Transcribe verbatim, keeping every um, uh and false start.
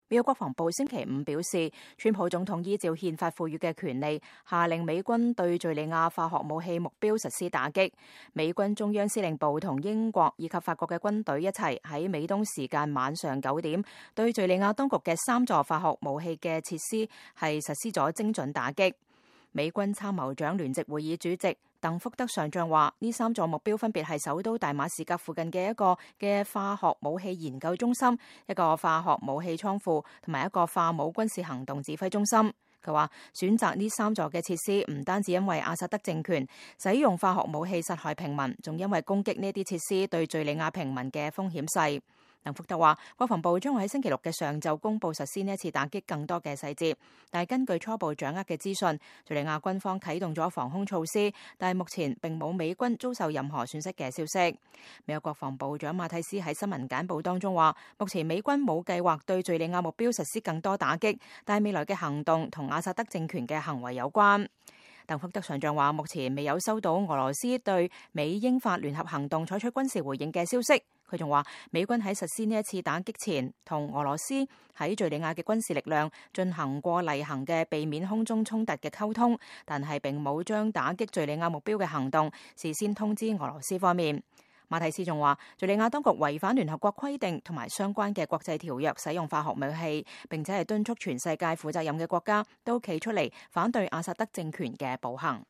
美國國防部星期五表示，川普總統依照憲法賦予嘅權利，下令美軍對敘利亞化學武器目標實施打擊。美軍中央司令部同英國以及法國嘅軍隊一齊喺美東時間晚上九點，對敘利亞當局嘅三座化學武器嘅設施係實施咗精準打擊。美軍參謀長聯席會議主席鄧福德上將話，呢三座目標分別係首都大馬士革附近嘅一個嘅化學武器研究中心、一個化學武器倉庫同埋一個化武軍事行動指揮中心。佢話選擇呢三座嘅設施唔單止因為阿薩德政權使用化學武器殺害平民，仲因為攻擊呢啲設施對敘利亞平民嘅風險細。鄧福德話，國防部將會喺星期六嘅上晝公布實施呢一次打擊更多嘅細節，但係根據初步掌握嘅資訊，敘利亞軍方啟動咗防空措施，但係目前並冇美軍遭受任何損失嘅消息。美國國防部長馬蒂斯喺新聞簡報當中話，目前美軍冇計劃對敘利亞目標實施更多打擊，但係未來嘅行動同阿薩德政權嘅行為有關。鄧福德上將話，目前未有收到俄羅斯對美英法聯合行動採取軍事回應嘅消息。佢仲話，美軍喺實施呢一次打擊前，同俄羅斯喺敘利亞嘅軍事力量進行過例行嘅避免空中衝突嘅溝通，但係並冇將打擊敘利亞目標嘅行動事先通知俄羅斯方面。馬蒂斯仲話，敘利亞當局違反聯合國規定同埋相關嘅國際條約，使用化學武器，並且係敦促全世界負責任嘅國家都企出嚟反對阿薩德政權嘅暴行。